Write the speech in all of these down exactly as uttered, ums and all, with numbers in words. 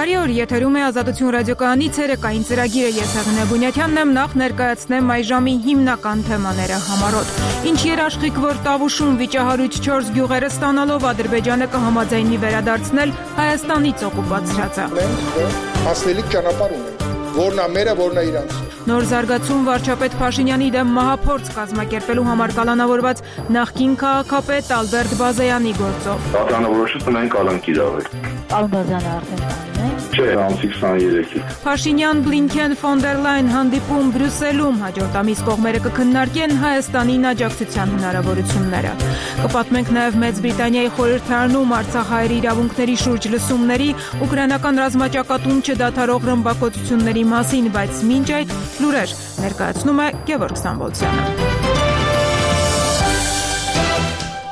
Բարի օր, եթերում է Ազատություն ռադիոկայանի ցերեկային ծրագիրը, ես Հեղինե Բունյաթյանն եմ, նախ ներկայացնեմ այս ժամի հիմնական թեմաները համառոտ։ Ինչ երաշխիք, որ Տավուշում վիճահարույց չորս գյուղերը ստանալով Ադրբեջանը կհամաձայնի վերադարձնել Հայաստանից օկուպացրածը։ Մենք հասնելիք ճանապարհ ունենք, որն է մերը, որն է իրանց։ Նոր զարգացում վարչապետ Փաշինյանի դեմ մահափորձ կազմակերպելու համար կալանավորված նախկին քաղաքապետ Ալբերտ Բազայանի գործով։ Պատանավորոշը տնային կալանք իրավեր։ Ալբազյանը արդեն տանին է։ Չէ, ամսի քսաներեքից։ Փաշինյան, Բլինքեն, ֆոն դեր Լայն հանդիպում Բրյուսելում, հաջորդ ամիս կողմերը կքննարկեն Հայաստանին աջակցության հնարավորությունները։ Կպատմենք նաև Մեծ Բրիտանիայի խորհրդարանում արցախահայերի իրավունքների շուրջ լսումների, ուկրաինական ռազմաճակատում չդադարող ռմբակոծությունների մասին, բայց մինչ այդ լուրեր ներկայացնում է Գևորգ Սամվոլցյանը։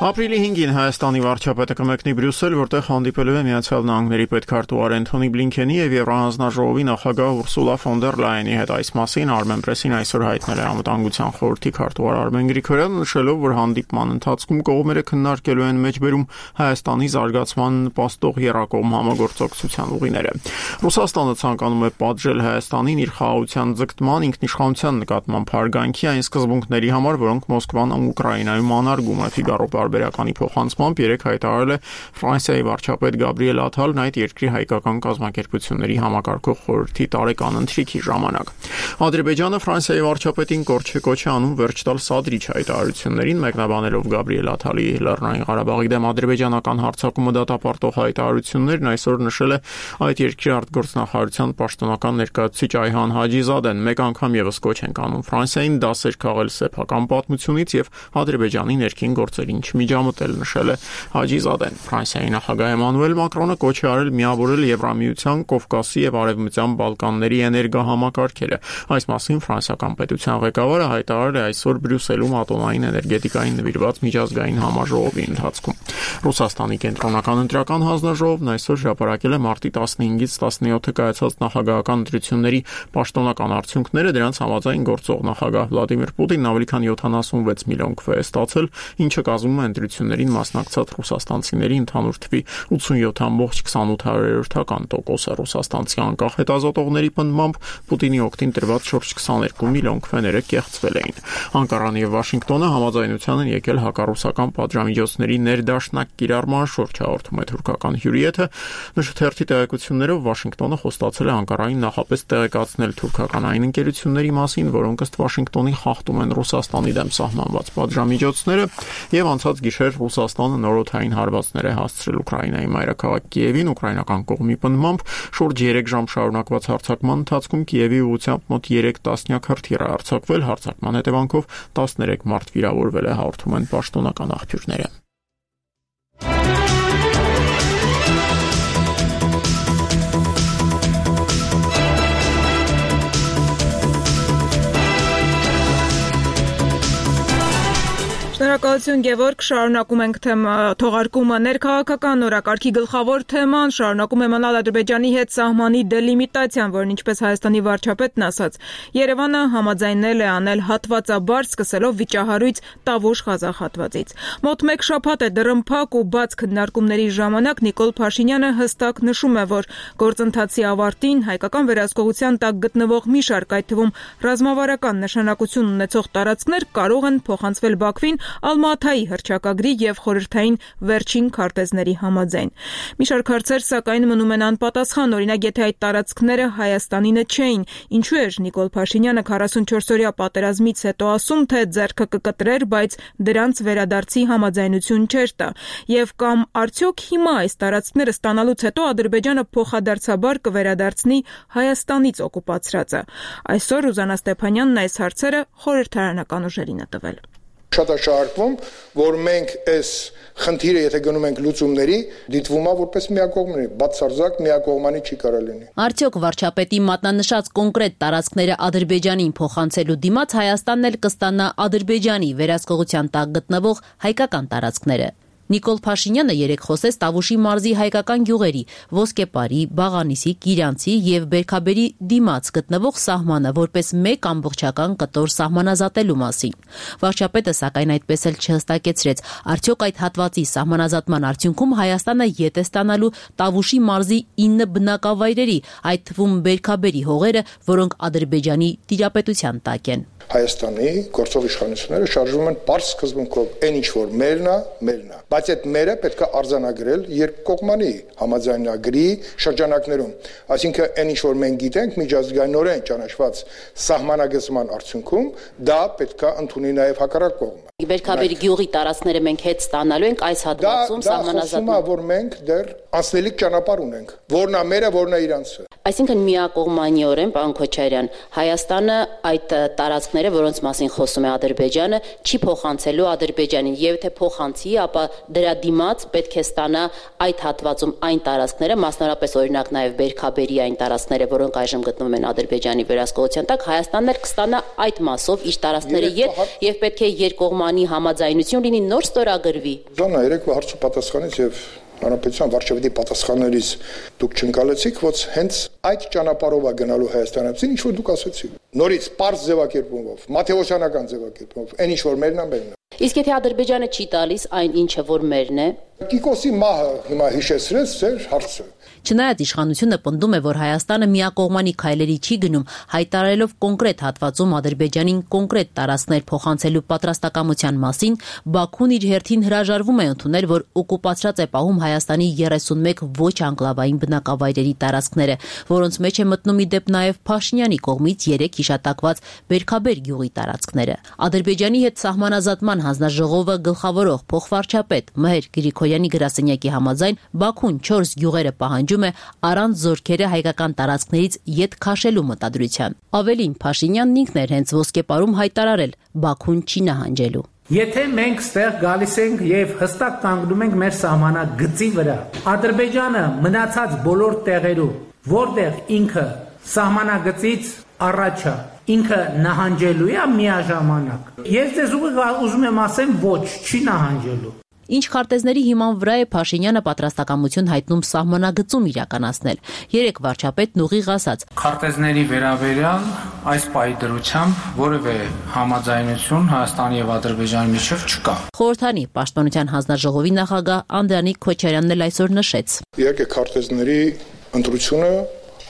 Ապրիլի հինգին Հայաստանի վարչապետը կմեկնի Բրյուսել, որտեղ հանդիպելու է Միացյալ Նահանգների պետքարտուղար Էնթոնի Բլինքենի եւ Եվրահանձնաժողովի նախագահ Ուրսուլա ֆոն դեր Լայենի հետ։ Այս մասին Armenpress-ին այսօր հայտնել է Անվտանգության խորհրդի քարտուղար Արմեն Գրիգորյանը, նշելով, որ հանդիպման ընթացքում կողմերը քննարկելու են մեջբերում Հայաստանի զարգացման նպաստող եռակողմ համագործակցության ուղիները։ Ռուսաստանը ցանկանում է պատժել Հայաստանին իր խաղաղության ձգտման, ինքնիշխանության նկատմամբ հարգանքի այն սկզբունքների համար, որոնք Մոսկվան Ուկրաինայում անարգում է։ Ֆիգարո Բարբերականի փոխանցմամբ երեք հայտարարել է Ֆրանսիայի վարչապետ Գաբրիել Աթալն այդ երկրի հայկական կազմակերպությունների համակարգող խորհրդի տարեկան ընթրիքի ժամանակ։ Ադրբեջանը Ֆրանսիայի վարչապետին կորչ է կոչ անում վերջ տալ սադրիչ հայտարարություններին, մեկնաբանելով Գաբրիել Աթալի Լեռնային Ղարաբաղի դեմ ադրբեջանական հարձակումը դատապարտող հայտարարություններն, այսօր նշել է այդ երկրի արտգործնախարարության պաշտոնական ներկայացուցիչ Այհան Հաջիզադեն։ Մեկ անգամ եւս կոչ են անում Ֆրանսիային դասեր քաղել սեփական պատմությունից եւ Ադրբեջանի ներքին գործերին միջամտել, նշել է Հաջիզադեն։ Ֆրանսիայի նախագահ Էմանուել Մակրոնը կոչ է արել միավորել Եվրամիության, Կովկասի եւ Արևմտյան Բալկանների էներգահամակարգերը։ Այս մասին ֆրանսիական պետության ղեկավարը հայտարարել է այսօր Բրյուսելում ատոմային էներգետիկային նվիրված միջազգային համաժողովի ընթացքում։ Ռուսաստանի կենտրոնական ընտրական հանձնաժողովն այսօր հրապարակել է մարտի տասնհինգից տասնյոթը կայացած նախագահական ընտրությունների պաշտոնական արդյունքները, դրանց համաձայն գործող նախագահ Վլադիմիր Պուտինն ավելի քան յոթանասունվեց միլիոն քվե է ստացել, ինչը կազմում է ընտրություններին մասնակցած ռուսաստանցիների ընդհանուր թվի ութսունյոթ կόμμα քսանութ տոկոսը։ Ռուսաստանցի անկախ հետազոտողների պնդմամբ Պուտինի օգտին տրված շուրջ քսաներկու միլիոն քվեները կեղծվել էին։ Անկարան եւ Վաշինգտոնը համաձայնության են եկել հակառուսական պատժամիջոցների ներդաշնակ կիրառման շուրջ, հաղորդում է թուրքական հյուրիեթը։ Նշթերթի տեղեկություններով Վաշինգտոնը խոստացել է Անկարային նախապես տեղեկացնել թուրքական այն ընկերությունների մասին, որոնք ըստ Վաշինգտոնի խախտում են Ռուսաստանի դեմ սահմանված պատժամիջոցները, եւ անցած գիշեր Ռուսաստանը նորօդային հարվածներ է հասցրել Ուկրաինայի մայրաքաղաք Կիևին։ Ուկրաինական կողմի պնդմամբ շուրջ երեք ժամ շարունակված հարձակման ընթացքում Կիևի ուղղությամբ մոտ երեք տասնյակ հրթիռ է արձակվել։ Հարձակման հետևանքով տասներեք մարդ վիրավորվել է, հաղորդում են պաշտոնական աղբյուրները։ Շնորհակալություն Գևորգ, շարունակում ենք թողարկումը։ Ներքաղաքական օրակարգի գլխավոր թեման շարունակում է մնալ Ադրբեջանի հետ սահմանի դելիմիտացիան, որն ինչպես Հայաստանի վարչապետն ասաց, Երևանը համաձայնել է անել հատվածաբար, սկսելով վիճահարույց Տավուշ-Ղազախ հատվածից։ Մոտ մեկ շաբաթ է դռնփակ ու բաց քննարկումների ժամանակ Նիկոլ Փաշինյանը հստակ նշում է, որ գործընթացի ավարտին հայկական վերահսկողության տակ գտնվող մի շարք, այդ թվում ռազմավարական նշանակություն ունեցող տարածքներ կարող են փոխանցվել Բաքվին Ալմաթայի հռչակագրի եւ խորհրդային վերջին քարտեզների համաձայն։ Մի շարք հարցեր սակայն մնում են անպատասխան, օրինակ եթե այդ տարածքները Հայաստանինը չէին, ինչու էր Նիկոլ Փաշինյանը քառասունչորսօրյա պատերազմից հետո ասում, թե ձեռքը կկտրեր, բայց դրանց վերադարձի համաձայնություն չէր տա, եւ կամ արդյոք հիմա այս տարածքները ստանալուց հետո Ադրբեջանը փոխադարձաբար կվերադարձնի Հայաստանից օկուպացրածը։ Այսօր Ռուզաննա Ստեփանյանն այս հարցերը խորհրդարանական ուժերին է տվել։ Շատ է շարժվում, որ մենք այս խնդիրը եթե գնում ենք լուծումների, դիտվում է որպես միակողմանի, բացարձակ միակողմանի չի կարող լինի։ Արդյոք վարչապետի մատնանշած կոնկրետ տարածքները Ադրբեջանին փոխանցելու դիմաց Հայաստանն էլ կստանա Ադրբեջանի վերահսկողության տակ գտնվող հայկական տարածքները։ Նիկոլ Փաշինյանը երեկ խոսեց Տավուշի մարզի հայկական գյուղերի Ոսկեպարի, Բաղանիսի, Կիրյանցի եւ Բերքաբերի դիմաց գտնվող սահմանը որպես մեկ ամբողջական կտոր սահմանազատելու մասին։ Վարչապետը սակայն այդպես էլ չհստակեցրեց, արդյոք այդ հատվածի սահմանազատման արդյունքում Հայաստանը ետ է ստանալու Տավուշի մարզի ինը բնակավայրերի, այդ թվում Բերքաբերի հողերը, որոնք Ադրբեջանի տիրապետության տակ են։ Հայաստանի գործող իշխանությունները շարժվում են պարզ սկզբունքով այն ինչ որ մերն է, մերն է, բայց այդ մերը պետք է արձանագրել երկկողմանի համաձայնագրի շրջանակներում, այսինքն այն ինչ որ մենք գիտենք միջազգայինորեն ճանաչված սահմանագծման արդյունքում դա պետք է ընդունի նաև հակառակ կողմը։ Բերքաբերի գյուղի տարածքները մենք հետ ստանալու ենք այս հատվածում սահմանազատման։ Դա որ մենք դեռ անցնելիք ճանապարհ ունենք, որն է մերը, որն է իրանցը։ Այսինքն միակողմանիորեն, պարոն Քոչարյան, Հայաստանը այդ տարածքները, որոնց մասին խոսում է Ադրբեջանը, չի փոխանցելու Ադրբեջանին, եւ թե փոխանցի, ապա դրա դիմաց պետք է ստանա այդ հատվածում այն տարածքները, մասնավորապես օրինակ նաև Բերքաբերի այն տարածքները, որոնք այժմ գտնվում են Ադրբեջանի վերահսկողության տակ, Հայաստանն էլ կստանա այդ մասով իր տարածքները ետ եւ պետք է երկկողմանի համաձայնություն լինի, նոր ստորագրվի։ Զանա երեկվա հարցու պատասխանից եւ Հանրապետության վարչապետի պատասխաններից դուք չընկալեցիք, որ հենց այդ ճանապարհով է գնալու Հայաստանացին, ինչ որ դուք ասացիք։ Նորից պարզ ձևակերպումով, մաթեոսյանական ձևակերպումով, այն ինչ որ մերն է, մերն է։ Իսկ եթե Ադրբեջանը չի տալիս այն ինչը որ մերն է, Կիկոսի մահը հիմա հիշեցրեց ձեր հարցը։ Չնայած իշխանությունը պնդում է, որ Հայաստանը միակողմանի քայլերի չի գնում, հայտարարելով կոնկրետ հատվածում Ադրբեջանին կոնկրետ տարածքներ փոխանցելու պատրաստակամության մասին, Բաքուն իր հերթին հրաժարվում է ընդունել, որ օկուպացրած է պահում Հայաստանի երեսունմեկ ոչ անկլավային բնակավայրերի տարածքները, որոնց մեջ է մտնում ի դեպ նաև Փաշինյանի կողմից երեք հիշատակված Բերքաբեր գյուղի տարածքները։ Ադրբեջանի հետ սահմանազատման հանձնաժողովը գլխավորող փոխվարչապետ Մհեր Գրիգորյանի գրասենյակի համաձայն Բաքուն չորս գյուղերը պահանջում է առանց զորքերը հայկական տարածքներից ետ քաշելու մտադրության։ Ավելին, Փաշինյանն ինքն էր հենց Ոսկեպարում հայտարարել Բաքուն չի նահանջելու։ Եթե մենք ստեղ գալիս ենք եւ հստակ կանգնում ենք մեր սահմանագծի վրա, Ադրբեջանը մնացած բոլոր տեղերում, որտեղ ինքը սահմանագծից առաջ է, ինքը նահանջելու է միաժամանակ։ Ես ձեզ ուզում եմ ասեմ ոչ, չի նահանջելու։ Ինչ քարտեզների հիման վրա է Փաշինյանը պատրաստակամություն հայտնում սահմանագծում իրականացնել։ Երեք վարչապետն ուղիղ ասաց. Քարտեզների վերաբերյալ այս պայդրությամբ որևէ համաձայնություն Հայաստանի եւ Ադրբեջանի միջև չկա։ Խորհրդանի պաշտպանության հանձնաժողովի նախագահ Անդրանիկ Քոչարյանն էլ այսօր նշեց. Իհարկե քարտեզների ընտրությունը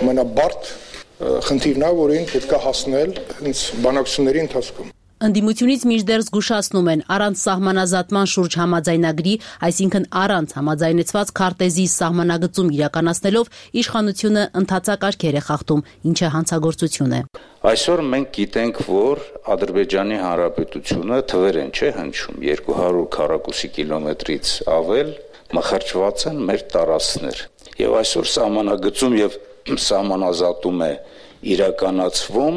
ամենաբարդ խնդիրն է, որին պետք է հասնել հենց բանակցությունների ընթացքում։ Ընդդիմությունից մինչդեռ զգուշացնում են առանց սահմանազատման շուրջ համաձայնագրի, այսինքն առանց համաձայնեցված քարտեզի սահմանագծում իրականացնելով իշխանությունը ընթացակարգեր է խախտում, ինչը հանցագործություն է։ Այսօր մենք գիտենք, որ Ադրբեջանի Հանրապետությունը թվեր են չէ հնչում երկու հարյուր քառակուսի կիլոմետրից ավել մխրճված են մեր տարածքներ։ Եվ այսօր սահմանագծում եւ սահմանազատում է իրականացվում,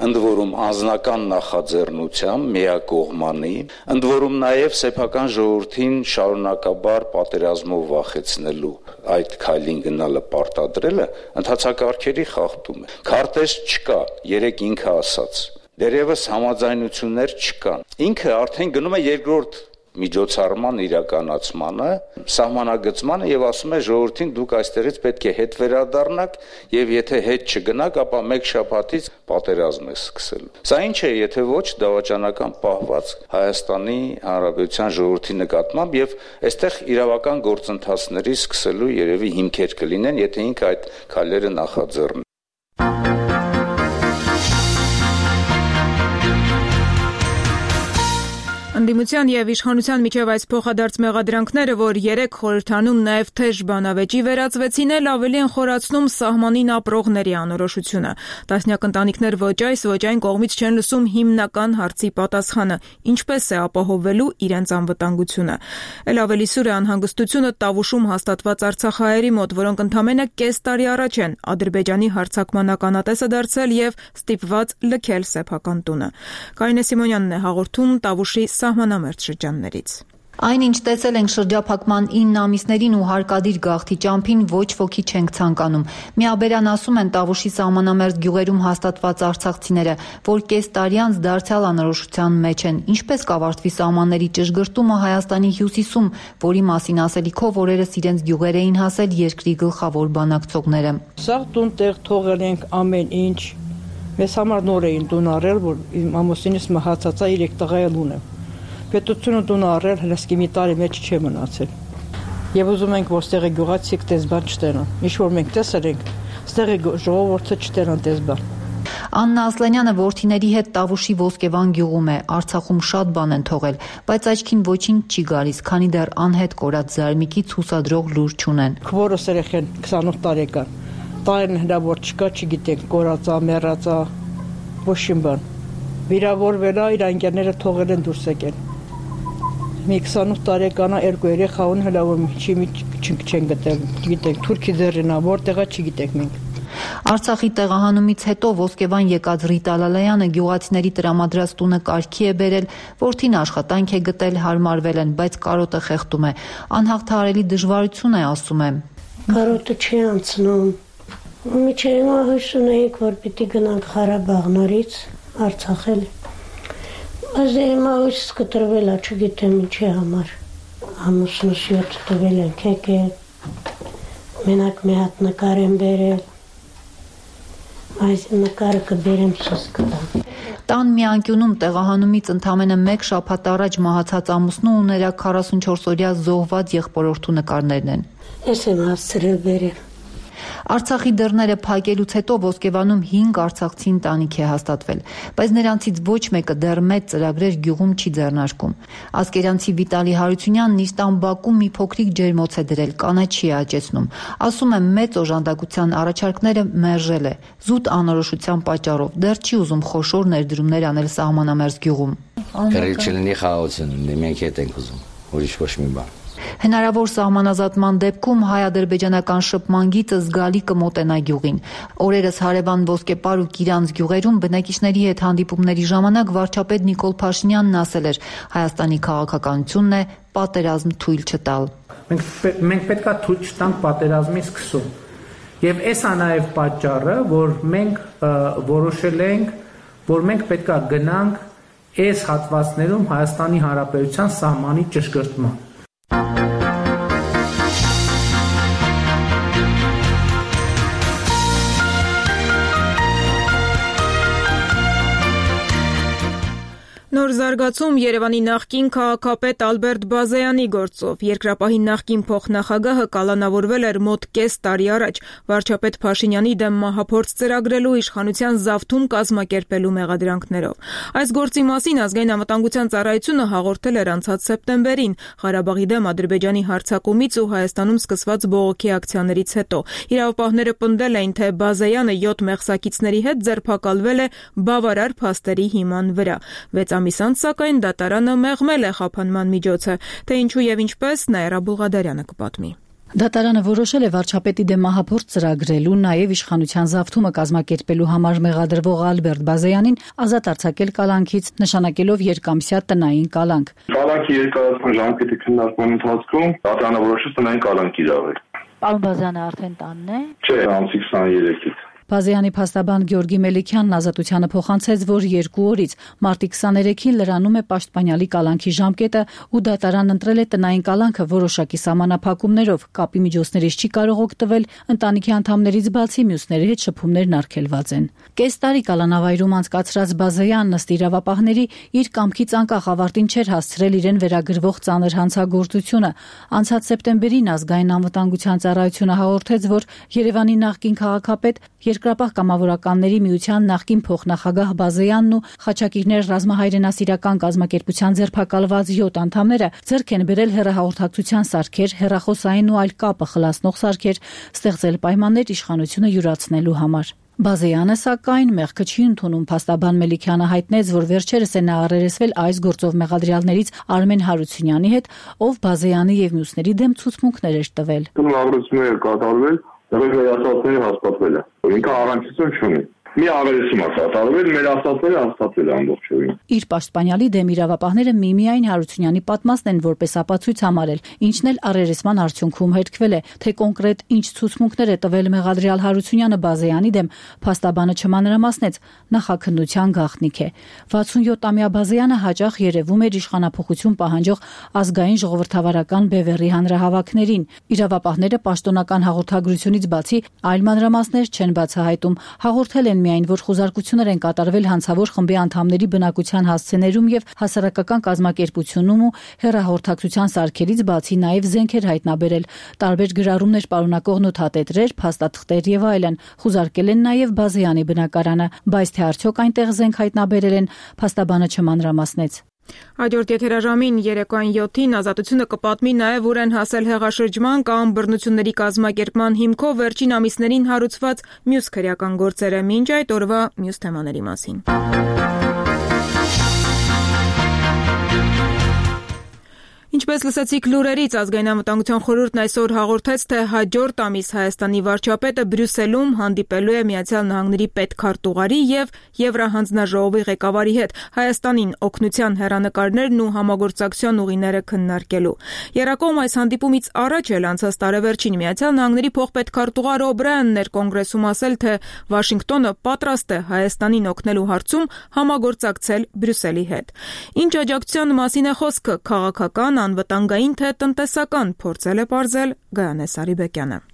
ընդ որում անձնական նախաձեռնությամբ միակողմանի, ընդ որում նաև սեփական ժողովրդին շարունակաբար պատերազմով վախեցնելու այդ քայլին գնալը պարտադրելը ընթացակարգերի խախտում է։ Քարտեզ չկա, երեք ինքը ասաց։ Դերևս համաձայնություններ չկան։ Ինքը արդեն գնում է երկրորդ միջոցառման իրականացմանը, սահմանագծմանը եւ ասում է ժողովրդին դուք այստեղից պետք է հետ վերադառնաք եւ եթե հետ չգնաք, ապա մեկ շաբաթից պատերազմ է սկսելու։ Սա ինչ է, եթե ոչ դավաճանական պահված Հայաստանի Հանրապետության ժողովրդի նկատմամբ եւ այստեղ իրավական գործընթացների սկսելու երևի հիմքեր կլինեն, եթե ինքը այդ քայլերը նախաձեռնի։ Ընդդիմության եւ իշխանության միջև այս փոխադարձ մեղադրանքները, որ երեք խորհրդանում նաեւ թեժ բանավեճի վերածվեցին, էլ ավելի են խորացնում սահմանին ապրողների անորոշությունը։ Տասնյակ ընտանիքներ ոչ այս, ոչ այն կողմից չեն լսում հիմնական հարցի պատասխանը՝ ինչպես է ապահովվելու իրենց անվտանգությունը։ Էլ ավելի սուր է անհանգստությունը Տավուշում հաստատված արցախահայերի մոտ, որոնք ընդամենը կես տարի առաջ են Ադրբեջանի հարձակման ականատեսը դարձել եւ ստիպված լքել սեփական տունը։ Կարինե Սիմոնյանն է հաղորդում Տավուշի սահմանամերձ շրջաններից։ Այն, ինչ տեսել ենք շրջափակման ինը ամիսներին ու հարկադիր գաղթի ճամփին, ոչ ոքի չենք ցանկանում։ Միաբերան ասում են Տավուշի սահմանամերձ գյուղերում հաստատված արցախցիները, որ կես տարի անց դարձյալ անորոշության մեջ են։ Ինչպես կավարտվի սահմանների ճշգրտումը Հայաստանի հյուսիսում, որի մասին ասելիքով օրերս իրենց գյուղեր էին հասել երկրի գլխավոր բանակցողները։ Սաղ տուն տեղ թողել ենք ամեն ինչ։ Մեզ համար նոր էին տուն առել, որ իմ ամուսինս մահացած է, երեք տղա էլ ունեմ։ Պետությունը տուն առել, հլսկի մի տարի մեջ չի մնացել։ Եվ ուզում ենք, որ ստեղի գյուղացիք տեսբան չտենան։ Ինչ որ մենք տեսել ենք, ստեղի ժողովուրդը չտենան տեսբան։ Աննա Ասլանյանը որդիների հետ Տավուշի Ոսկեվան գյուղում է, Արցախում շատ բան են թողել, բայց աչքին ոչինչ չի գալիս, քանի դեռ անհետ կորած զարմիկից հուսադրող լուր չունեն։ Քվորս երեխեն քսանութ տարեկան, տարին հնարավոր չկա, չգիտենք, կորածա, մեռածա, ոչինչ բան։ Վիրավորվել է, իր ընկերները թողել են դուրս եկել։ Մի քսանութ տարեկանա երկու երեխա ունի, հլավոր չի մի չեն գտել, գիտենք, Թուրքի ձեռինա, որտեղա չգիտենք մենք։ Արցախի տեղահանումից հետո Ոսկեվան եկած Ռիտա Լալայանը գյուղացիների տրամադրած տունը կարգի է բերել, որդին աշխատանք է գտել, հարմարվել են, բայց կարոտը խեղդում է։ Անհաղթահարելի դժվարություն է, ասում է։ Կարոտը չի անցնում։ Միջև հիմա հույս ունեինք, որ պիտի գնանք Ղարաբաղ նորից Արցախել։ Բայց հիմա հույս կտրվել է, չգիտեմ ինչի համար։ Ամուսնուս յոթ տվել ենք եկել, մենակ մի հատ նկար եմ բերել, այս նկարը կբերեմ սուս կտամ։ Տան մի անկյունում տեղահանումից ընդամենը մեկ շաբաթ առաջ մահացած ամուսնու ու նրա քառասունչորսօրյա զոհված եղբորորդու նկարներն են։ Ես եմ հասցրել բերել։ Արցախի դռները փակելուց հետո Ոսկեվանում հինգ արցախցի ընտանիք է հաստատվել, բայց նրանցից ոչ մեկը դեռ մեծ ծրագրեր գյուղում չի ձեռնարկում։ Ասկերանցի Վիտալի Հարությունյանն իր տան բակում մի փոքրիկ ջերմոց է դրել, կանաչի է աճեցնում։ Ասում է, մեծ օժանդակության առաջարկները մերժել է, զուտ անորոշության պատճառով, դեռ չի ուզում խոշոր ներդրումներ անել սահմանամերձ գյուղում։ Կռիվ չլինի խաղաղություն, մենք հետ ենք ուզում, ուրիշ ոչ մի բան։ Հնարավոր սահմանազատման դեպքում հայ-ադրբեջանական շփման գիծը զգալի կմոտենա գյուղին։ Օրերս հարևան Ոսկեպար ու Կիրանց գյուղերում բնակիչների հետ հանդիպումների ժամանակ վարչապետ Նիկոլ Փաշինյանն ասել էր, Հայաստանի քաղաքականությունն է պատերազմ թույլ չտալ։ Մենք մենք պետքա թույլ չտանք պատերազմի սկսում։ Եվ էս է նաև պատճառը, որ մենք որոշել ենք, որ մենք պետքա գնանք այս հատվածներում Հայաստանի Հանրապետության սահմանի ճշգրտման։ Նոր զարգացում Երևանի նախկին քաղաքապետ Ալբերտ Բազեյանի գործով։ Երկրապահի նախկին փոխնախագահը կալանավորվել էր մոտ կես տարի առաջ վարչապետ Փաշինյանի դեմ մահափորձ ծրագրելու իշխանության զավթում կազմակերպելու մեղադրանքներով։ Այս գործի մասին Ազգային անվտանգության ծառայությունը հաղորդել էր անցած սեպտեմբերին Ղարաբաղի դեմ Ադրբեջանի հարձակումից ու Հայաստանում սկսված բողոքի ակցիաներից հետո։ Իրավապահները պնդել էին, թե Բազեյանը յոթ մեղսակիցների հետ ձերբակալվել է բավարար փաստերի հիման վրա։ Վեց ամիս անց սակայն դատարանը մեղմել է խափանման միջոցը, թե ինչու եւ ինչպես Նաիրա Բուլղադարյանը կպատմի։ Դատարանը որոշել է վարչապետի դեմ մահափորձ ծրագրելու, նաև իշխանության զավթումը կազմակերպելու համար մեղադրվող Ալբերտ Բազեյանին ազատ արձակել կալանքից, նշանակելով երկամսյա տնային կալանք։ Կալանքի երկարացման ժամկետի քննարկման ընթացքում դատարանը որոշեց տնային կալանք կիրառել։ Պարոն Բազյանը արդեն տանն է։ Չէ, ամսի քսաներեքից։ Բազեյանի փաստաբան Գյորգի Մելիքյանն ազատությանը փոխանցեց, որ երկու օրից մարտի քսաներեքին լրանում է պաշտպանյալի կալանքի ժամկետը ու դատարան ընտրել է տնային կալանքը որոշակի սահմանափակումներով, կապի միջոցներից չի կարող օգտվել, ընտանիքի անդամներից բացի մյուսների հետ շփումներն արգելված են։ Կես տարի կալանավայրում անցկացրած Բազեյանն ըստ իրավապահների իր կամքից անկախ ավարտին չէր հասցրել իրեն վերագրվող ծանր հանցագործությունը։ Անցած սեպտեմբերին Ազգային անվտանգության ծառայությունը հաղորդեց, որ Երևանի նախկին քաղաքապետ Երկրապահ կամավորականների միության նախկին փոխնախագահ Բազեյանն ու Խաչակիրներ ռազմահայրենասիրական կազմակերպության ձերբակալված յոթ անդամները ձեռք են բերել հեռահաղորդակցության սարքեր, հեռախոսային ու այլ կապը խլացնող սարքեր, ստեղծել պայմաններ իշխանությունը յուրացնելու համար։ Բազեյանը սակայն մեղքը չի ընդունում։ Փաստաբան Մելիքյանը հայտնեց, որ վերջերս է նա առերեսվել այս գործով մեղադրյալներից Արմեն Հարությունյանի հետ, ով Բազեյանի եւ մյուսների դեմ ցուցմունքներ էր տվել։ Առերեսումներ կատարվել, դեռ ասացները հաստատվել է։ Ինքը առանցություն չունի։ մի ավերեցում է կատարվել, մեր ասածները հաստատվել է ամբողջովին։ Իր պաշտպանյալի դեմ իրավապահները միմիայն Հարությունյանի պատմածն են որպես ապացույց համարել, ինչն էլ առերեսման արդյունքում հերքվել է, թե կոնկրետ ինչ ցուցմունքներ է տվել մեղադրյալ Հարությունյանը Բազեյանի դեմ, փաստաբանը չմանրամասնեց, նախաքննության գաղտնիք է։ վաթսունյոթամյա Բազեյանը հաճախ երևում էր իշխանափոխություն պահանջող ազգային ժողովրդավարական բևեռի հանրահավաքներին։ Իրավապահները պաշտոնական հաղորդագրությունից բացի այլ մանրամասներ չեն բացահայտում, հաղորդել են միայն, որ խուզարկություններ են կատարվել հանցավոր խմբի անդամների բնակության հասցեներում եւ հասարակական կազմակերպությունում ու հեռահաղորդակցության սարքերից բացի նաեւ զենքեր հայտնաբերել, տարբեր գրառումներ պարունակող նոթատետրեր, փաստաթղթեր եւ այլն։ Խուզարկել են նաեւ Բազեյանի բնակարանը, բայց թե արդյոք այնտեղ զենք հայտնաբերել են, փաստաբանը չմանրամասնեց։ Հաջորդ եթերաժամին երեկոյան յոթին Ազատությունը կպատմի նաև ուր են հասել հեղաշրջման կամ բռնությունների կազմակերպման հիմքով վերջին ամիսներին հարուցված մյուս քրեական գործերը, մինչ այդ օրվա մյուս թեմաների մասին։ Ինչպես լսեցիք լուրերից, Ազգային անվտանգության խորհուրդն այսօր հաղորդեց, թե հաջորդ ամիս Հայաստանի վարչապետը Բրյուսելում հանդիպելու է Միացյալ Նահանգների պետքարտուղարի եւ Եվրահանձնաժողովի ղեկավարի հետ Հայաստանին օգնության հեռանկարներն ու համագործակցության ուղիները քննարկելու։ Երակոմ այս հանդիպումից առաջ էլ անցած տարեվերջին Միացյալ Նահանգների փոխպետքարտուղար Օբրայանն էր կոնգրեսում ասել, թե Վաշինգտոնը պատրաստ է Հայաստանին օգնելու հարցում համագործակցել Բրյուսելի հետ։ Ինչ աջակցության մասին է խոսքը, քաղաքական, անվտանգային թե տնտեսական, փորձել է պարզել Գայանե Սարիբեկյանը։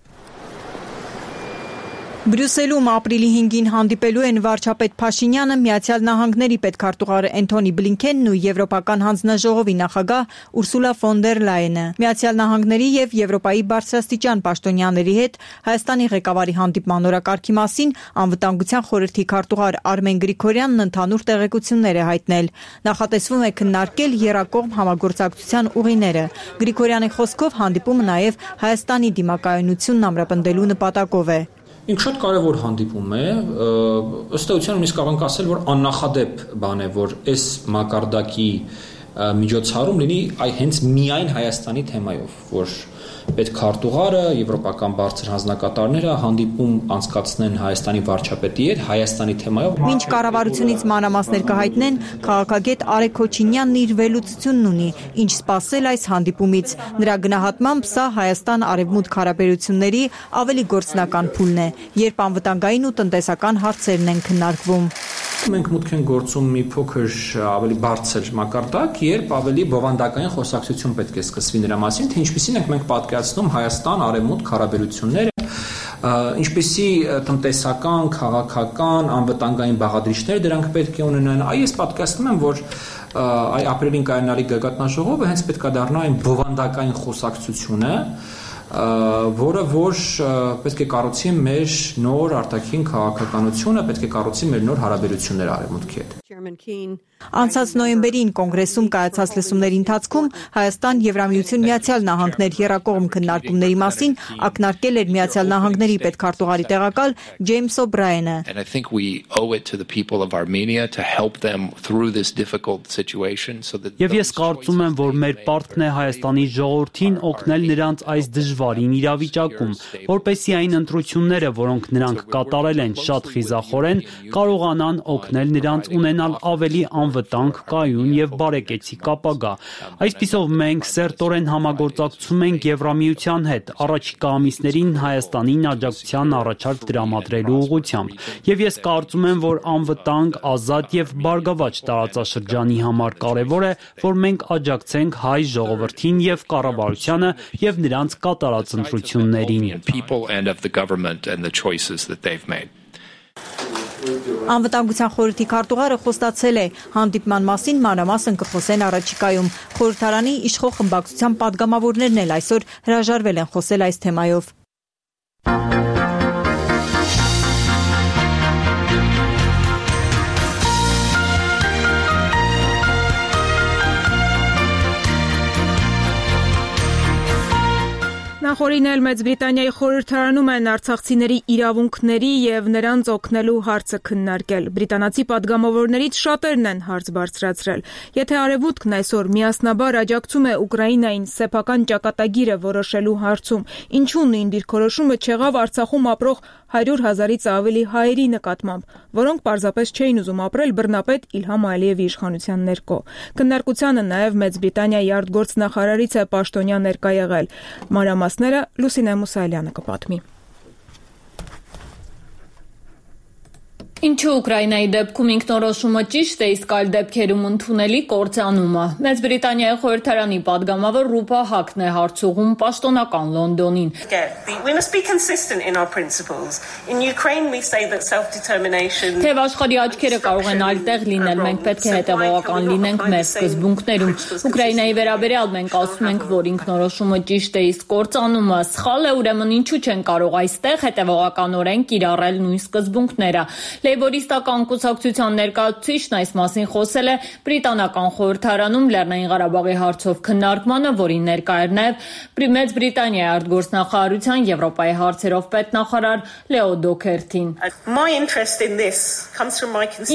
Բրյուսելում ապրիլի հինգին հանդիպելու են վարչապետ Փաշինյանը, Միացյալ Նահանգների պետքարտուղարը Էնթոնի Բլինքենն ու Եվրոպական հանձնաժողովի նախագահ Ուրսուլա ֆոն դեր Լայենը։ Միացյալ Նահանգների եւ Եվրոպայի բարձրաստիճան պաշտոնյաների հետ Հայաստանի ղեկավարի հանդիպման օրակարգի մասին անվտանգության խորհրդի քարտուղար Արմեն Գրիգորյանն ընդհանուր տեղեկություններ է հայտնել։ Նախատեսվում է քննարկել եռակողմ համագործակցության ուղիները։ Գրիգորյանի խոսքով հանդիպումը նաեւ Հայաստանի դիմակայունությունն ամրապնդելու նպատակով է։ Ինք շատ կարևոր հանդիպում է, ըստ էության նույնիսկ կարող ենք ասել, որ աննախադեպ բան է, որ այս մակարդակի միջոցառում լինի այ հենց միայն Հայաստանի թեմայով, որ պետքարտուղարը, եվրոպական բարձր հանձնակատարները հանդիպում անցկացնեն Հայաստանի վարչապետի հետ Հայաստանի թեմայով։ Մինչ կառավարությունից մանրամասներ կհայտնեն, քաղաքագետ Արեգ Քոչինյանն իր վերլուծությունն ունի, ինչ սպասել այս հանդիպումից։ Նրա գնահատմամբ սա Հայաստան-Արևմուտք հարաբերությունների ավելի գործնական փուլն է, երբ անվտանգային ու տնտեսական հարցերն են քննարկվում։ Մենք մուտք ենք գործում մի փոքր ավելի բարձր մակարդակ, երբ ավելի բովանդակային խոսակցություն պետք է սկսվի նրա մասին, թե ինչպիսին ենք մենք պատկերացնում Հայաստան-Արևմուտք հարաբերությունները, ինչպիսի տնտեսական, քաղաքական, անվտանգային բաղադրիչներ դրանք պետք է ունենան։ Այ ես պատկերացնում եմ, որ այ ապրիլին կայանալի գագաթնաժողովը հենց պետք է դառնա այն բովանդակային խոսակցությունը, որը որ պետք է կառուցի մեր նոր արտաքին քաղաքականությունը, պետք է կառուցի մեր նոր հարաբերությունները Արևմուտքի հետ։ Անցած նոյեմբերին կոնգրեսում կայացած լսումների ընթացքում Հայաստան Եվրամիություն Միացյալ Նահանգներ եռակողմ քննարկումների մասին ակնարկել էր Միացյալ Նահանգների պետքարտուղարի տեղակալ Ջեյմս Օբրայենը։ Եվ ես կարծում եմ, որ մեր պարտքն է Հայաստանի ժողովրդին օգնել նրանց այս դժվարին իրավիճակում, որպեսզի այն ընտրությունները, որոնք նրանք կատարել են շատ խիզախորեն, կարողանան օգնել նրանց ունենալ ավելի անվտանգ, կայուն եւ բարեկեցիկ ապագա։ Այսպիսով մենք սերտորեն համագործակցում ենք Եվրամիության հետ առաջիկա ամիսներին Հայաստանին աջակցության առաջարկ տրամադրելու ուղղությամբ։ Եվ ես կարծում եմ, որ անվտանգ, ազատ եւ բարգավաճ տարածաշրջանի համար կարեւոր է, որ մենք աջակցենք հայ ժողովրդին եւ կառավարությանը եւ նրանց կատարած ընտրություններին։ Անվտանգության խորհրդի քարտուղարը խոստացել է հանդիպման մասին մանրամասն կխոսեն առաջիկայում։ Խորհրդարանի իշխող խմբակցության պատգամավորներն էլ այսօր հրաժարվել են խոսել այս թեմայով։ Նախորդին էլ Մեծ Բրիտանիայի խորհրդարանում են արցախցիների իրավունքների եւ նրանց օգնելու հարցը քննարկել։ Բրիտանացի падգամավորներից շատերն են հարց բարձրացրել։ Եթե Արևմուտքն այսօր միասնաբար աջակցում է Ուկրաինային սեփական ճակատագիրը որոշելու հարցում, ինչու նույն դիրքորոշումը չեղավ Արցախում ապրող հարյուր հազարից ավելի հայերի նկատմամբ, որոնք պարզապես չէին ուզում ապրել բռնապետ Իլհամ Ալիևի իշխանության ներքո։ Քննարկությանը նաև Մեծ Բրիտանիայի արտգործնախարարից է պաշտոնյա ներկա եղել։ Մանրամասները Լուսինե Մուսայելյանը կպատմի։ Ինչու Ուկրաինայի դեպքում ինքնորոշումը ճիշտ է, իսկ այլ դեպքերում ընդունելի կործանումը։ Մեծ Բրիտանիայի խորհրդարանի падգամավոր Ռուպա Հակն է հարցուղում պաշտոնական Լոնդոնին։ Թեև աշխարհի աչքերը կարող են այլտեղ լինել, մենք պետք է հետևողական լինենք մեր սկզբունքներում։ Ուկրաինայի վերաբերյալ մենք ասում ենք, որ ինքնորոշումը ճիշտ է, իսկ կործանումը սխալ է, ուրեմն ինչու չեն կարող այստեղ հետևողականորեն կիրառել նույն սկզբունքները։ Լեյբորիստական կուսակցության ներկայացուցիչն այս մասին խոսել է բրիտանական խորհրդարանում Լեռնային Ղարաբաղի հարցով քննարկմանը, որին ներկա էր նաև Մեծ Բրիտանիայի արտգործնախարարության Եվրոպայի հարցերով պետնախարար Լեո Դոքերթին։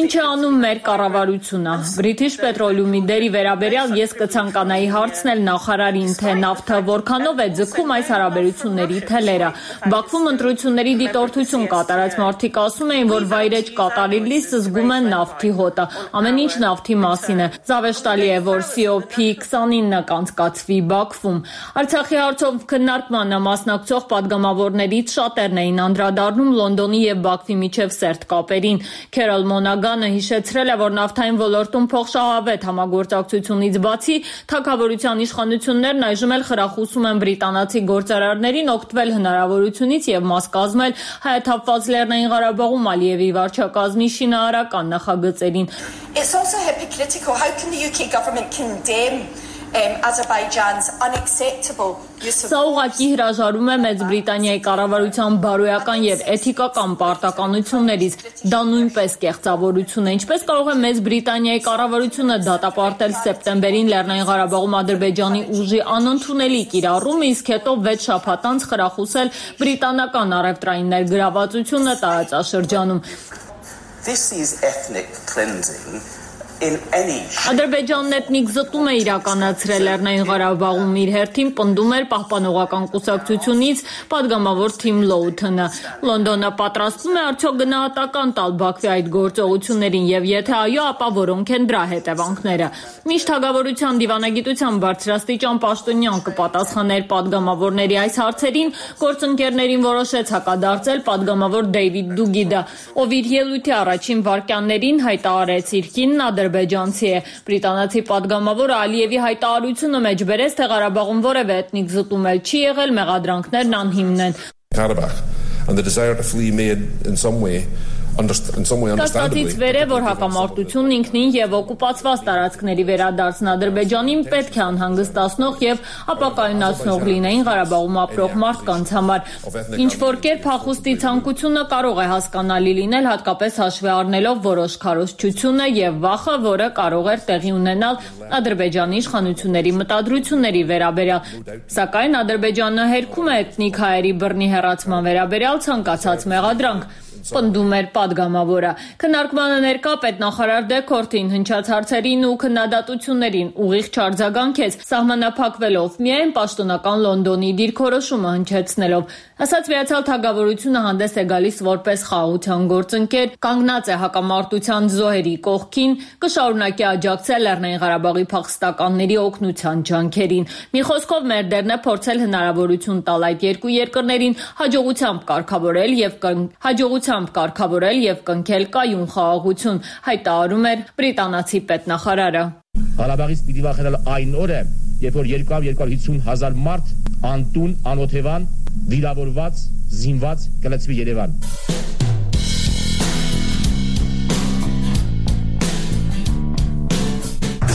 Ինչ է անում մեր կառավարությունը։ British Petroleum-ի դերի վերաբերյալ ես կցանկանայի հարցնել նախարարին, թե նավթը որքանով է ձգում այս հարաբերությունների թելերը։ Բաքվում ընտրությունների դիտորդություն կատարած մարդիկ ասում էին, որ վայրեջ կատարելիս զգում են նավթի հոտը։ Ամեն ինչ նավթի մասին է։ Զավեշտալի է, որ C O P twenty-nine կանցկացվի Բաքվում։ Արցախի հարցով քննարկմանը մասնակցող падգամավորներից շատերն էին անդրադառնում Լոնդոնի եւ Բաքվի միջև սերտ կապերին։ Քերոլ Մոնագանը հիշեցրել է, որ նավթային ոլորտում փոխշահավետ համագործակցությունից բացի թագավորության իշխանություններն այժմ էլ խրախուսում են բրիտանացի գործարարներին օգտվել հնարավորությունից եւ մաս կազմել հայաթափված Լեռնային Ղարաբաղում Ալիևի վարչակազմի շինարարական նախագծերին։ It's also hypocritical. How can the U K government condemn Um, Azerbaijan's unacceptable use of Սա ուղղակի հրաժարում է Մեծ Բրիտանիայի կառավարության բարոյական եւ էթիկական պարտականություններից։ Դա նույնպես կեղծավորություն է։ Ինչպես կարող է Մեծ Բրիտանիայի կառավարությունը դատապարտել սեպտեմբերին Լեռնային Ղարաբաղում Ադրբեջանի ուժի անընդունելի կիրառումը, իսկ հետո վեց շաբաթ անց խրախուսել բրիտանական առևտրային ներգրավվածությունը տարածաշրջանում։ This is ethnic cleansing. Ադրբեջանն էթնիկ զտում է իրականացրել Լեռնային Ղարաբաղում, իր հերթին պնդում էր պահպանողական կուսակցությունից падգամավոր Թիմ Լոութոնը։ Լոնդոնը պատրաստվում է արդյոք գնահատական տալ Բաքվի այդ գործողություններին եւ եթե այո, ապա որոնք են դրա հետևանքները։ Միշտ թագավորության դիվանագիտության բարձրաստիճան պաշտոնյան կպատասխաներ падգամավորների այս հարցերին, գործընկերներին որոշեց հակադարձել падգամավոր Դեյվիդ Դուգիդը, ով իր ելույթի առաջին վայրկյաններին հայտարարեց իր կինն ադրբեջանցի է։ Բրիտանացի падգամավորը Ալիևի հայտարարությունը մեջ բերեց, թե Ղարաբաղում որևէ էթնիկ զտում էլ չի եղել, մեղադրանքներն անհիմն են։ Karabakh and the desire to flee made in some way Կասկածից վեր է, որ հակամարտությունն ինքնին եւ օկուպացված տարածքների վերադարձն Ադրբեջանին պետք է անհանգստացնող եւ ապակայունացնող լինեին Ղարաբաղում ապրող մարդկանց համար։ Ինչ որ կերպ հախուստի ցանկությունը կարող է հասկանալի լինել, հատկապես հաշվի առնելով որոշ քարոզչությունը եւ վախը, որը կարող էր տեղի ունենալ Ադրբեջանի իշխանությունների մտադրությունների վերաբերյալ։ Սակայն Ադրբեջանը հերքում է էթնիկ հայերի բռնի հեռացման վերաբերյալ ցանկացած մեղադրանք։ Պնդում էր падգամավորը։ Քննարկմանը ներկա պետնախարար Դեքորթին հնչած հարցերին ու քննադատություններին ուղիղ չարձագանքեց, սահմանափակվելով միայն պաշտոնական Լոնդոնի դիրքորոշումը հնչեցնելով։ Ասաց Միացյալ Թագավորությունը հանդես է գալիս որպես խաղաղության գործընկեր, կանգնած է հակամարտության զոհերի կողքին, կշարունակի աջակցել Լեռնային Ղարաբաղի փախստականների օգնության ջանքերին։ Մի խոսքով մեր դերն է փորձել հնարավորություն տալ այդ երկու երկրներին հաջողությամբ կարգավորել եւ հաջողությամբ կարգավորել եւ կնքել կայուն խաղաղություն, հայտարարում էր բրիտանացի պետնախարարը։ Ղարաբաղից պիտի վախենալ այն օրը, երբ որ երկու հարյուր հազար հազար մարդ անտուն, անօթևան, վիրավորված, զինված կլցվի Երևան։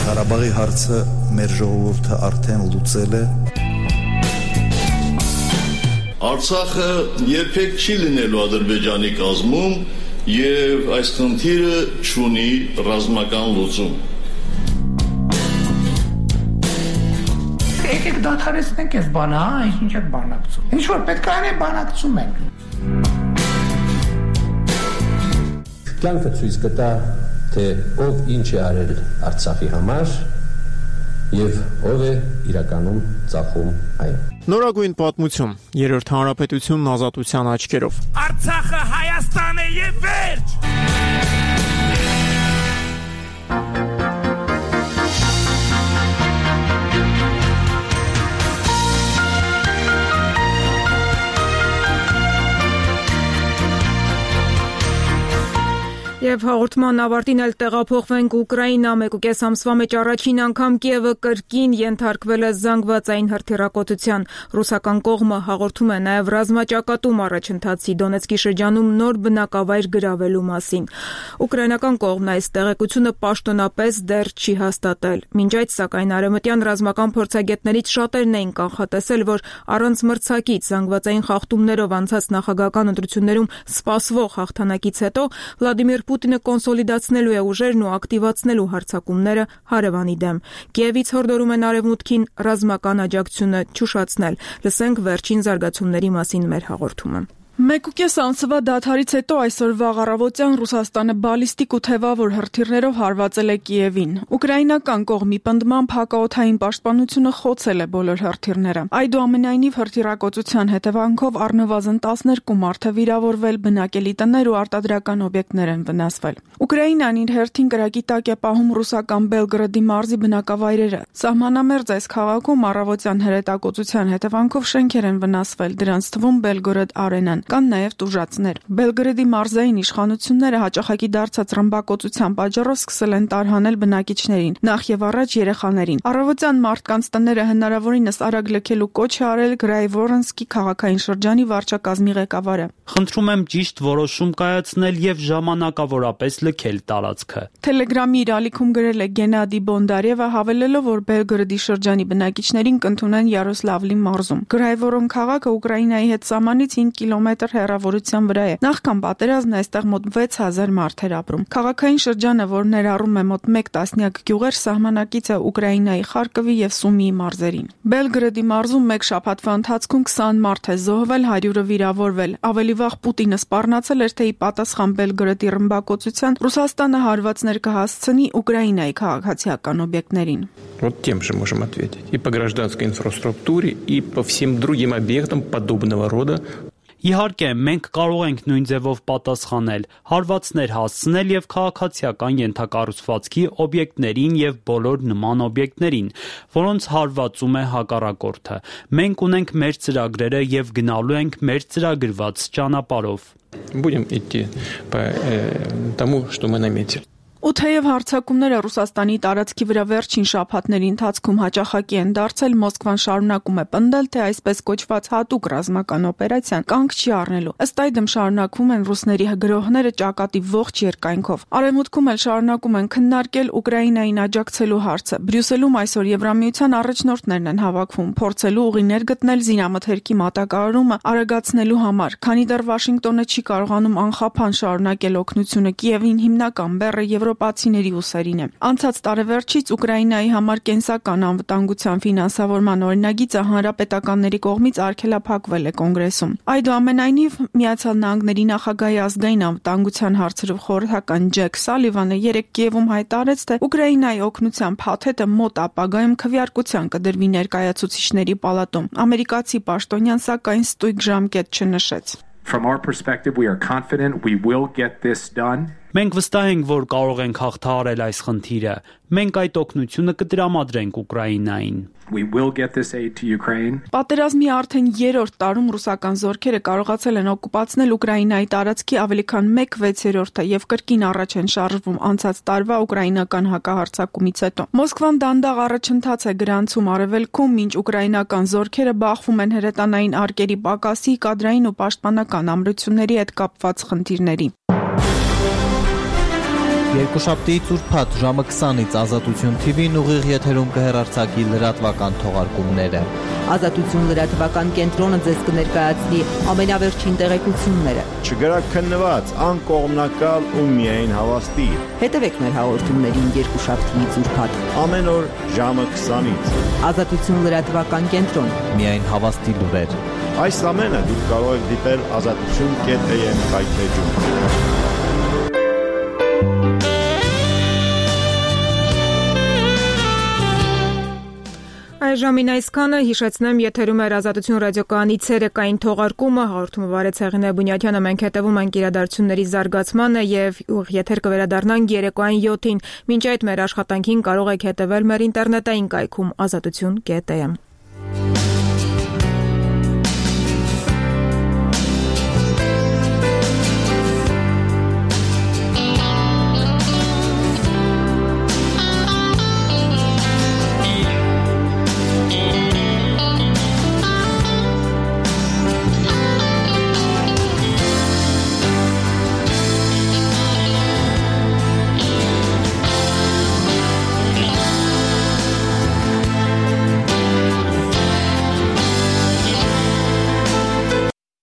Ղարաբաղի հարցը մեր ժողովուրդը արդեն լուծել է։ Արցախը երբեք չի լինելու Ադրբեջանի կազմում եւ այս խնդիրը չունի ռազմական լուծում։ Եկեք դադարեցնենք այս բանը, հա, ինչ եք բանակցում։ Ինչ որ պետք է անենք, բանակցում ենք։ Կյանքը ցույց կտա, թե ով ինչ է արել Արցախի համար եւ ով է իրականում ծախում այն։ Նորագույն պատմություն, երրորդ հանրապետությունն ազատության աչքերով։ Արցախը Հայաստան է եւ վերջ։ Եվ հաղորդման ավարտին էլ տեղափոխվենք Ուկրաինա, մեկուկես ամսվա մեջ առաջին անգամ Կիևը կրկին ենթարկվել է զանգվածային հրթիռակոծության։ Ռուսական կողմը հաղորդում է նաև ռազմաճակատում առաջընթացի Դոնեցկի շրջանում նոր բնակավայր գրավելու մասին։ Ուկրաինական կողմն այս տեղեկությունը պաշտոնապես դեռ չի հաստատել։ Մինչ այդ, սակայն, արևմտյան ռազմական փորձագետներից շատերն էին կանխատեսել, որ առանց մրցակից զանգվածային խախտումներով անցած նախագահական ընտրություններում սպասվող հաղթանակից հետո Վլադիմիր Պուտինը կոնսոլիդացնելու է ուժերն ու ակտիվացնելու հարձակումները հարևանի դեմ։ Կիևից հորդորում են արևմուտքին ռազմական աջակցությունը չուշացնել։ Լսենք վերջին զարգացումների մասին մեր հաղորդումը։ Մեկուկես ամսվա դադարից հետո այսօր վաղ առավոտյան Ռուսաստանը բալիստիկ ու թևավոր հրթիռներով հարվածել է Կիևին։ Ուկրաինական կողմի պնդմամբ հակաօդային պաշտպանությունը խոցել է բոլոր հրթիռները։ Այդուամենայնիվ հրթիռակոծության հետևանքով առնվազն տասներկու մարդ է վիրավորվել, բնակելի տներ ու արտադրական օբյեկտներ են վնասվել։ Ուկրաինան իր հերթին կրակի տակ է պահում ռուսական Բելգրադի մարզի բնակավայրերը։ Սահմանամերձ այս քաղաքում առավոտյան հրետակոծության հետևանքով շենքեր են վնասվել, դրանց թվում Բելգորոդ արենան։ Կան նաև տուժածներ։ Բելգրադի մարզային իշխանությունները հաճախակի դարձած ռմբակոծության պատճառով սկսել են տարհանել բնակիչներին, նախ եւ առաջ երեխաներին։ Առավոտյան մարդկանց տները հնարավորինս արագ լքելու կոչ է արել Գրայվորոնսկի քաղաքային շրջանի վարչակազմի ղեկավարը։ Խնդրում եմ ճիշտ որոշում կայացնել եւ ժամանակավորապես լքել տարածքը։ Թելեգրամի իր ալիքում գրել է Գենադի Բոնդարևը, հավելելով, որ Բելգրադի շրջանի բնակիչներին կընդունեն Յարոսլավլի մարզում։ Գրայվորոն քաղաքը Ուկրաինայի հետ սահմանից հինգ կիլոմետր հեռավորության վրա է։ Նախքան պատերազմն այստեղ մոտ վեց հազար մարդ էր ապրում։ Քաղաքային շրջանը, որ ներառում է մոտ մեկ տասնյակ գյուղեր, սահմանակից է Ուկրաինայի Խարկովի եւ Սումիի մարզերին։ Բելգրադի մարզում մեկ շաբաթվա ընթացքում քսան մարդ է զոհվել, հարյուրը վիրավորվել։ Ավելի վաղ Պուտինը սպառնացել էր, թե ի պատասխան Բելգրադի ռմբակոծության Ռուսաստանը հարվածներ կհասցնի Ուկրաինայի քաղաքացիական օբյեկտներին։ Вот тем же можем ответить. И по гражданской инфраструктуре, и по всем другим объектам подобного рода. Իհարկե, մենք կարող ենք նույն ձևով պատասխանել, հարվածներ հասցնել եւ քաղաքացիական ենթակառուցվածքի օբյեկտներին եւ բոլոր նման օբյեկտներին, որոնց հարվածում է հակառակորդը։ Մենք ունենք մեր ծրագրերը եւ գնալու ենք մեր ծրագրված ճանապարհով։ Будем идти по тому, что мы наметили. Ու թեև հարձակումները Ռուսաստանի տարածքի վրա վերջին շաբաթների ընթացքում հաճախակի են դարձել, Մոսկվան շարունակում է պնդել, թե այսպես կոչված հատուկ ռազմական օպերացիան կանգ չի առնելու։ Ըստ այդմ շարունակվում են ռուսների գրոհները ճակատի ողջ երկայնքով։ Արևմուտքում էլ շարունակում են քննարկել Ուկրաինային աջակցելու հարցը։ Բրյուսելում այսօր Եվրամիության առաջնորդներն են հավաքվում, փորձելու ուղիներ գտնել զինամթերքի մատակարարումը արագացնելու համար, քանի դեռ Վաշինգտոնը չի կարողանում անխափան շարունակել օգնությունը Կիևին, հիմնական բեռը եվրոպացիների ուսերին է։ Անցած տարեվերջից Ուկրաինայի համար կենսական անվտանգության ֆինանսավորման օրինագիծը հանրապետականների կողմից արգելափակվել է կոնգրեսում։ Այդուամենայնիվ, Միացյալ Նահանգների նախագահի ազգային անվտանգության հարցերով խորհրդական Ջեք Սալիվանը երեկ Կիևում հայտարարեց, թե Ուկրաինայի օգնության փաթեթը մոտ ապագայում քվեարկության կդրվի ներկայացուցիչների պալատում։ Ամերիկացի պաշտոնյան սակայն ստույգ ժամկետ չնշեց։ From our perspective, we are confident we will get this done. Մենք վստահ ենք, որ կարող ենք հաղթահարել այս խնդիրը։ Մենք այդ օգնությունը կտրամադրենք Ուկրաինային։ We will get this aid to Ukraine. Պատերազմի արդեն երրորդ տարում ռուսական զորքերը կարողացել են օկուպացնել Ուկրաինայի տարածքի ավելի քան մեկ վեցերորդը եւ կրկին առաջ են շարժվում անցած տարվա ուկրաինական հակահարձակումից հետո։ Մոսկվան դանդաղ առաջընթաց է գրանցում արևելքում, մինչ ուկրաինական զորքերը բախվում են հրետանային արկերի պակասի, կադրային ու պաշտպանական ամրությունների հետ կապված խնդիրների։ Երկուշաբթի ծուրփաթ ժամը քսանից Ազատություն թի վին ուղիղ եթերում կհեռարձակի լրատվական թողարկումները։ Ազատություն լրատվական կենտրոնը ձեզ կներկայացնի ամենավերջին տեղեկությունները։ Չգրաքննված, անկողմնակալ ու միայն հավաստի։ Հետևեք մեր հաղորդումներին երկուշաբթի ծուրփաթ ամեն օր ժամը քսանից։ Ազատություն լրատվական կենտրոն։ Միայն հավաստի լուրեր։ Այս ամենը դուք կարող եք դիտել ազատություն կետ է եմ հայթեջում։ Այժմին այսքանը, հիշեցնեմ, եթերում էր Ազատություն ռադիոկայանի ցերեկային թողարկումը, հաղորդումը վարեց Հեղինե Բունյաթյանը, մենք հետևում ենք իրադարձությունների զարգացմանը եւ եթեր կվերադառնանք երեկոային յոթին։ Մինչ այդ մեր աշխատանքին կարող եք հետևել մեր ինտերնետային կայքում ազատություն կետ էմ։